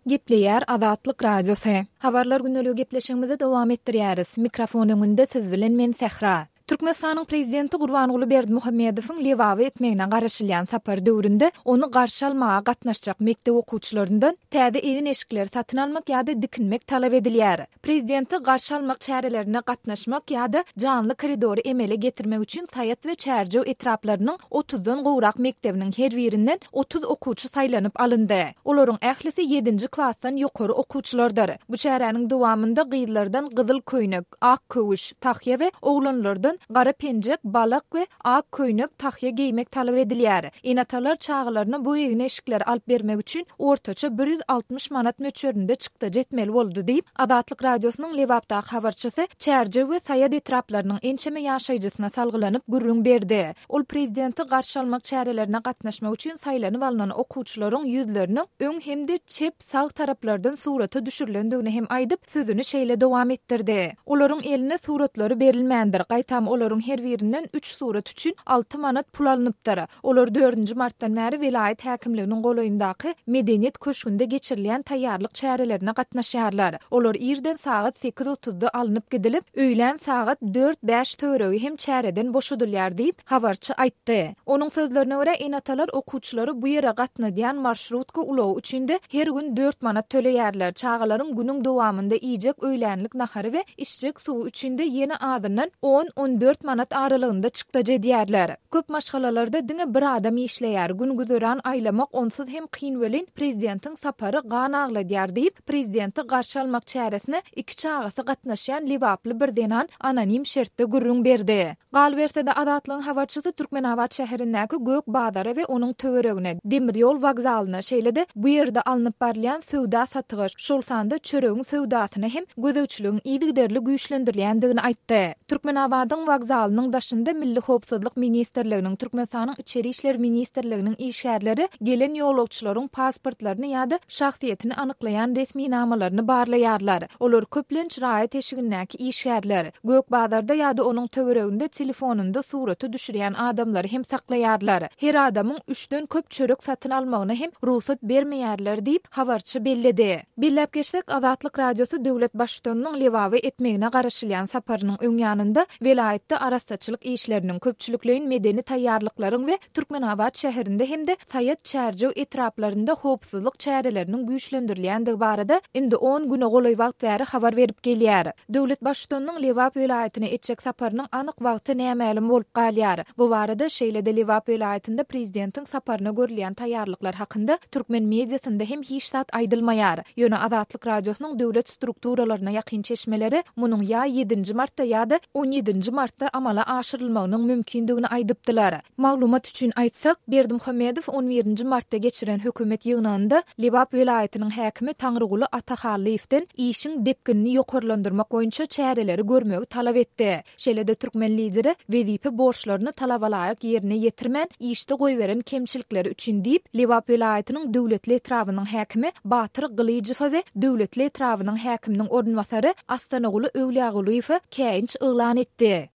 Gepleýär Azatlyk Radiosy. Habarlar gündeligi gepleşigimizi dowam etdirýäris. Mikrofon öňünde siz bilen men Sähra. Türkmenistanyň Prezidenti Gurbanguly Berdimuhamedowyň Lebaba etmegine garaşylýan sapary döwründe ony garşy almaga gatnaşjak mekdep okuwçylaryndan täze egin-eşikleri satyn almak ýa-da dikinmek talap edilýär. Prezidenti garşy almak çärelerine gatnaşmak ýa-da janly koridory emele getirmek üçin Saýat we Çärjew etraplarynyň otuzdan gowrak mekdebiniň her birinden 30 okuwçy saýlanyp alyndy. Olaryň ählisi ýedinji klasdan ýokary okuwçylardyr. Bu çäräniň dowamynda gyzlardan gyzyl köýnek, ak köwüş, tahýa we oglanlardan gara penjek, balak we ak köýnek, tahýa geýmek talap edilýär. Ene-atalar çagalaryna bu egin-eşikleri alyp bermek üçin ortaça 160 manat möçberinde çykdajy etmeli boldy diýip, Azatlyk Radiosynyň Lebapdaky habarçysy Çärjew we Saýat etraplarynyň ençeme ýaşaýjysyna salgylanyp gürrüň berdi. Ol prezidenti garşy almak çärelerine gatnaşmak üçin saýlanyp alnan okuwçylaryň ýüzleriniň öň hem-de çep, sag taraplardan surata düşürilendigini hem aýdyp, sözüni şeýle dowam etdirdi. Olaryň eline suratlary berilmändir, gaýtam olaryň her birinden üç surat üçin alty manat pul alnypdyr. Olar dördünji martdan bäri welaýat häkimliginiň golaýyndaky Medeniýet köşgünde geçirilýän taýýarlyk çärelerine gatnaşýarlar. Olar irden sagat sekiz otuzda alnyp gidilip, öýlän sagat dört-bäş töweregi hem çäreden boşadylýar diýip, habarçy aýtdy. Onuň sözlerine görä, ene-atalar okuwçylary bu ýere gatnadýan marşrutka ulagy üçin-de her gün dört manat töleýärler, çagalaryň günüň dowamynda iýjek öýlänlik nahary we içjek suwy üçin-de ýene azyndan on-on dört manat aralygynda çykdajy edýärler. Köp maşgalalarda diňe bir adam işleýär, gün-güzeran aýlamak onsuz hem kyn welin, prezidentiň sapary gan agladýar diýip, prezidenti garşy almak çäresine iki çagasy gatnaşýan lebaply bir zenan anonim şertde gürrüň berdi. Galyberse-de, Azatlygyň habarçysy Türkmenabat şäherindäki Gök bazara we onuň töweregine, demir ýol wokzalyna, şeýle-de bu ýerde alnyp barylýan söwda-satyga, şol sanda çöregiň söwdasyna hem gözegçiligiň yzygiderli güýçlendirilýändigini aýtdy. Türkmenabadyň wokzalynyň daşynda Milli howpsuzlyk ministrliginiň, Türkmenistanyň Içeri işler ministrliginiň işgärleri gelen ýolagçylaryň pasportlaryny ýa-da şahsyýetini anyklaýan resminamalaryny barlaýarlar. Olar köplenç raýat eşigindäki işgärler. Gök bazarda ýa-da onuň töwereginde telefonynda surata düşürýän adamlary hem saklaýarlar. Her adamyň üçden köp çörek satyn almagyna hem rugsat bermeýärler diýip, habarçy belledi. Belläp geçsek, Azatlyk Radiosy döwlet Baştutanynyň Lebaba etmegine garaşylýan saparynyň öň ýanynda welaýatda arassaçylyk işleriniň, köpçülikleýin medeni taýýarlyklaryň we Türkmenabat şäherinde hem-de Saýat, Çärjew etraplarynda howpsuzlyk çäreleriniň güýçlendirilýändigi barada indi on güne golaý wagt bäri habar berip gelýär. Döwlet Baştutanynyň Lebap welaýatyna etjek saparynyň anyk wagty nämälim bolup galýar. Bu barada, şeýle-de Lebap welaýatynda prezidentiň saparyna görülýän taýýarlyklar hakynda türkmen mediasynda hem hiç zat aýdylmaýar. Ýöne Azatlyk Radiosynyň döwlet strukturalaryna ýakyn çeşmeleri munuň ýa ýedinji martda ýa-da on ýedinji martda amala aşyrylmagynyň mümkindigini aýdypdylar. Maglumat üçin aýtsak, Berdimuhamedow on birinji martda geçiren hökümet ýygnagynda Lebap welaýatynyň häkimi Taňryguly Atahallyýewden işiň depginini ýokarlandyrmak boýunça çäreleri görmegi talap etdi. Şeýle-de türkmen lideri wezipe borçlaryny talabalaýyk ýerine ýetirmän, işde goýberen kemçilikleri üçin diýip, Lebap welaýatynyň Döwletli etrabynyň häkimi Batyr Gylyjowa we Döwletli etrabynyň häkiminiň orunbasary Astanaguly Öwlýagulyýewe käýinç yglan etdi.